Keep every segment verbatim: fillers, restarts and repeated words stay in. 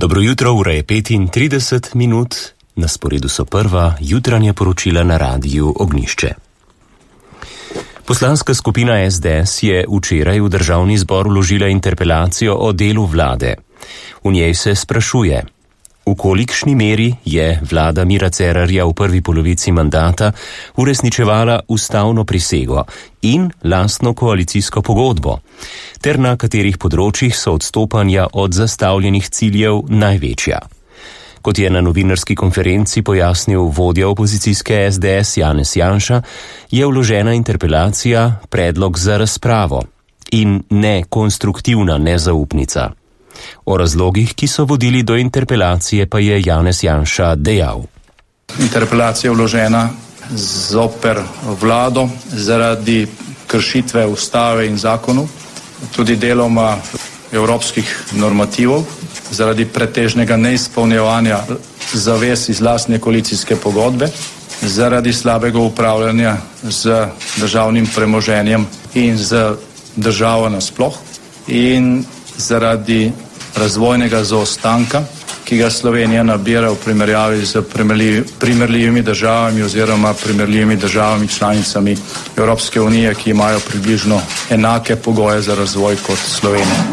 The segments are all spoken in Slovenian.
Dobro jutro, ura je petintrideset minut, na sporedu so prva jutranja poročila na radiju Ognjišče. Poslanska skupina es de es je včeraj v državni zbor vložila interpelacijo o delu vlade. V njej se sprašuje, v kolikšni meri je vlada Mira Cerarja v prvi polovici mandata uresničevala ustavno prisego in lastno koalicijsko pogodbo, ter na katerih področjih so odstopanja od zastavljenih ciljev največja. Kot je na novinarski konferenci pojasnil vodja opozicijske es de es Janez Janša, je vložena interpelacija predlog za razpravo in ne konstruktivna nezaupnica. O razlogih, ki so vodili do interpelacije, pa je Janez Janša dejal. Interpelacija je vložena zoper vlado zaradi kršitve ustave in zakonov, tudi deloma evropskih normativov, zaradi pretežnega neizpolnjevanja zavez iz lastne koalicijske pogodbe, zaradi slabega upravljanja z državnim premoženjem in z državo nasploh in zaradi razvojnega zaostanka, ki ga Slovenija nabira v primerjavi z primerljivimi državami oziroma primerljivimi državami članicami Evropske unije, ki imajo približno enake pogoje za razvoj kot Slovenija.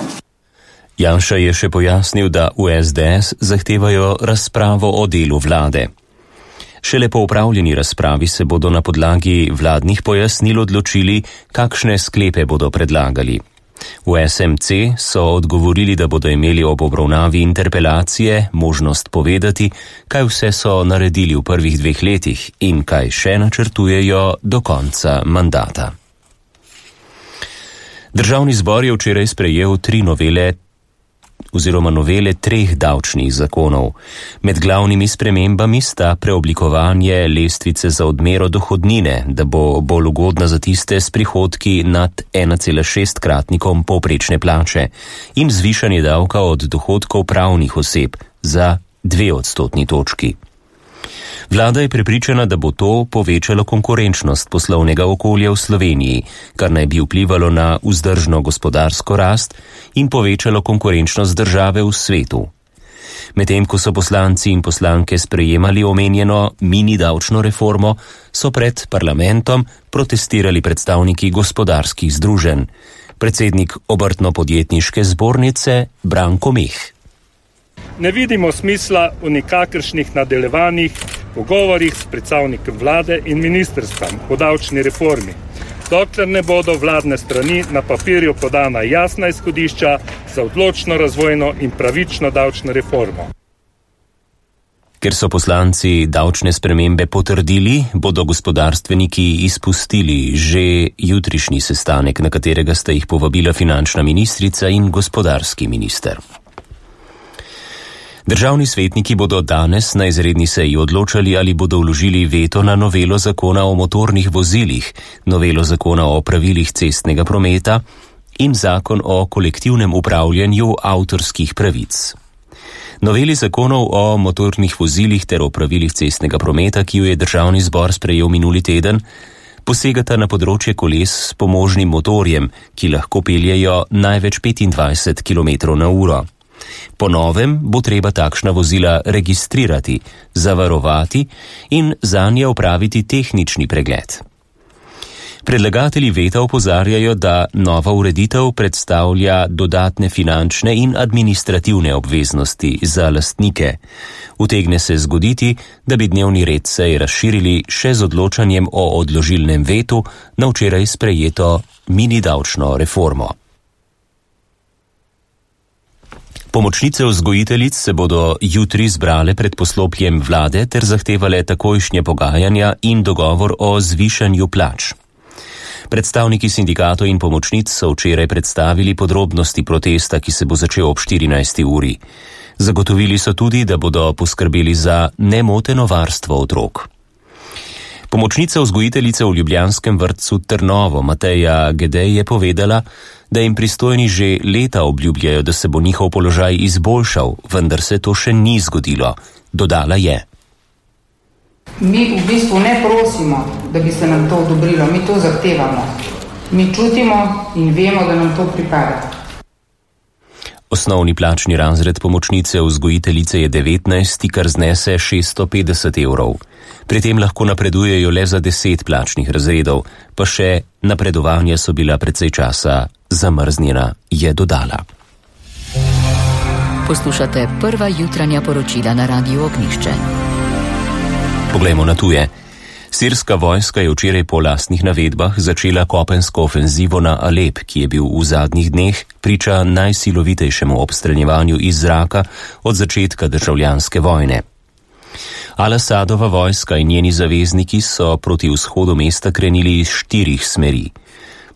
Janša je še pojasnil, da v es de es zahtevajo razpravo o delu vlade. Šele po opravljeni razpravi se bodo na podlagi vladnih pojasnil odločili, kakšne sklepe bodo predlagali. V es em ce so odgovorili, da bodo imeli ob obravnavi interpelacije možnost povedati, kaj vse so naredili v prvih dveh letih in kaj še načrtujejo do konca mandata. Državni zbor je včeraj sprejel tri novele oziroma novele treh davčnih zakonov. Med glavnimi spremembami sta preoblikovanje lestvice za odmero dohodnine, da bo bolj ugodna za tiste s prihodki nad ena cela šest kratnikom povprečne plače, in zvišanje davka od dohodkov pravnih oseb za dve odstotni točki. Vlada je prepričana, da bo to povečalo konkurenčnost poslovnega okolja v Sloveniji, kar naj bi vplivalo na vzdržno gospodarsko rast in povečalo konkurenčnost države v svetu. Medtem ko so poslanci in poslanke sprejemali omenjeno mini davčno reformo, so pred parlamentom protestirali predstavniki gospodarskih združenj. Predsednik obrtno-podjetniške zbornice Branko Meh. Ne vidimo smisla v nikakršnih nadaljevanjih pogovorih s predstavnikom vlade in ministrstvom o davčni reformi, dokler ne bodo vladne strani na papirju podana jasna izhodišča za odločno razvojno in pravično davčno reformo. Ker so poslanci davčne spremembe potrdili, bodo gospodarstveniki izpustili že jutrišnji sestanek, na katerega sta jih povabila finančna ministrica in gospodarski minister. Državni svetniki bodo danes na izredni seji odločali, ali bodo vložili veto na novelo zakona o motornih vozilih, novelo zakona o pravilih cestnega prometa in zakon o kolektivnem upravljanju avtorskih pravic. Noveli zakonov o motornih vozilih ter o pravilih cestnega prometa, ki jo je državni zbor sprejel minuli teden, posegata na področje koles s pomožnim motorjem, ki lahko peljejo največ petindvajset kilometrov na uro. Po novem bo treba takšna vozila registrirati, zavarovati in zanje opraviti tehnični pregled. Predlagatelji veta opozarjajo, da nova ureditev predstavlja dodatne finančne in administrativne obveznosti za lastnike. Utegne se zgoditi, da bi dnevni red seje razširili še z odločanjem o odložilnem vetu na včeraj sprejeto mini davčno reformo. Pomočnice vzgojiteljic se bodo jutri zbrale pred poslopjem vlade ter zahtevale takojšnje pogajanja in dogovor o zvišanju plač. Predstavniki sindikatov in pomočnic so včeraj predstavili podrobnosti protesta, ki se bo začel ob štirinajsti uri. Zagotovili so tudi, da bodo poskrbeli za nemoteno varstvo otrok. Pomočnica vzgojiteljice v ljubljanskem vrtcu Trnovo Mateja Gedej je povedala, da jim pristojni že leta obljubljajo, da se bo njihov položaj izboljšal, vendar se to še ni zgodilo. Dodala je. Mi v bistvu ne prosimo, da bi se nam to odobrilo, mi to zahtevamo. Mi čutimo in vemo, da nam to pripada. Osnovni plačni razred pomočnice vzgojiteljice je devetnajst, kar znese šeststo petdeset evrov. Pri tem lahko napredujejo le za deset plačnih razredov, pa še napredovanja so bila precej časa zamrznjena, je dodala. Poslušate prva jutranja poročila na Radiu Ognjišče. Poglejmo na tuje. Sirska vojska je včeraj po lastnih navedbah začela kopensko ofenzivo na Alep, ki je bil v zadnjih dneh priča najsilovitejšemu obstreljevanju iz zraka od začetka državljanske vojne. Al-Asadova vojska in njeni zavezniki so proti vzhodu mesta krenili iz štirih smeri.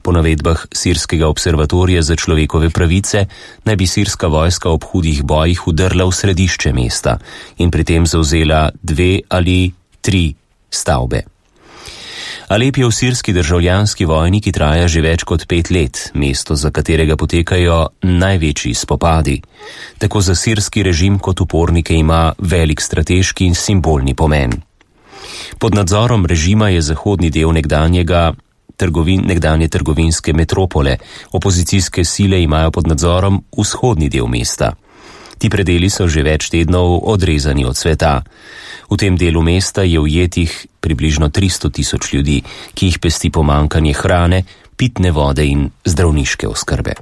Po navedbah Sirskega observatorija za človekove pravice naj bi sirska vojska ob hudih bojih udrla v središče mesta in pri tem zavzela dve ali tri stavbe. Alep je v sirski državljanski vojni, ki traja že več kot pet let, mesto, za katerega potekajo največji spopadi. Tako za sirski režim kot upornike ima velik strateški in simbolni pomen. Pod nadzorom režima je zahodni del nekdanjega trgovin, nekdanje trgovinske metropole, opozicijske sile imajo pod nadzorom vzhodni del mesta. Ti predeli so že več tednov odrezani od sveta. V tem delu mesta je ujetih približno tristo tisoč ljudi, ki jih pesti pomanjkanje hrane, pitne vode in zdravniške oskrbe.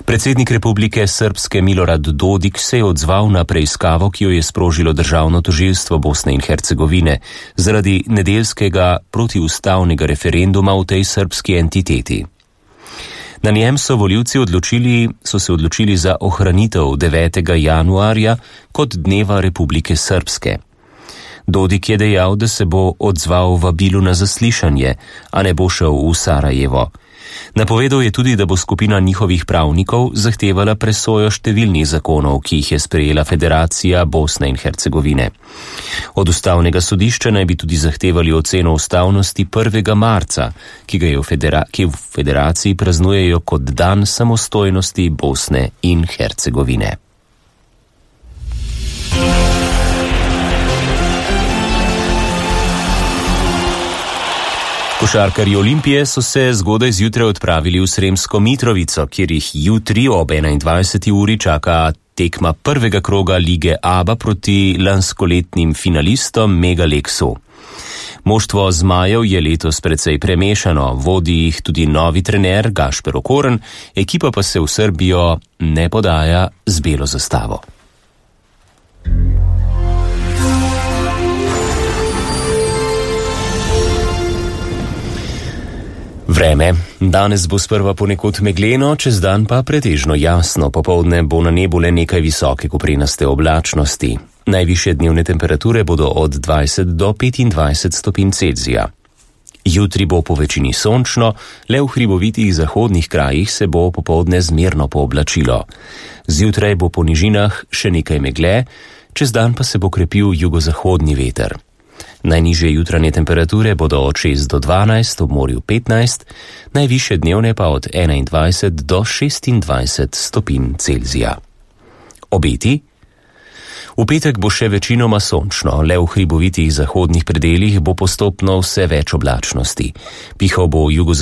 Predsednik Republike Srpske Milorad Dodik se je odzval na preiskavo, ki jo je sprožilo državno tožilstvo Bosne in Hercegovine zaradi nedeljskega protiustavnega referenduma v tej srbski entiteti. Na njem so volivci odločili, so se odločili za ohranitev devetega januarja kot dneva Republike Srpske. Dodik je dejal, da se bo odzval vabilu na zaslišanje, a ne bo šel v Sarajevo. Napovedal je tudi, da bo skupina njihovih pravnikov zahtevala presojo številnih zakonov, ki jih je sprejela Federacija Bosne in Hercegovine. Od ustavnega sodišča naj bi tudi zahtevali oceno ustavnosti prvega marca, ki ga je v, federa- ki v federaciji praznujejo kot dan samostojnosti Bosne in Hercegovine. Košarkarji Olimpije so se zgodaj zjutraj odpravili v Sremsko Mitrovico, kjer jih jutri ob enaindvajseti uri čaka tekma prvega kroga lige ABA proti lanskoletnim finalistom Megalexu. Moštvo zmajev je letos precej premešano, vodi jih tudi novi trener Gašper Okorn, ekipa pa se v Srbijo ne podaja z belo zastavo. Vreme. Danes bo sprva ponekod megleno, čez dan pa pretežno jasno, popoldne bo na nebu le nekaj visoke koprenaste oblačnosti. Najvišje dnevne temperature bodo od dvajset do petindvajset stopinj Celzija. Jutri bo po večini sončno, le v hribovitih zahodnih krajih se bo popoldne zmerno pooblačilo. Zjutraj bo po nižinah še nekaj megle, čez dan pa se bo krepil jugozahodni veter. Najnižje jutranje temperature bodo od šest do dvanajst, ob morju petnajst, najvišje dnevne pa od enaindvajset do šestindvajset stopinj Celzija. Obeti? V petek bo še večinoma sončno, le v hribovitih zahodnih predelih bo postopno vse več oblačnosti. Pihal bo jugozahodni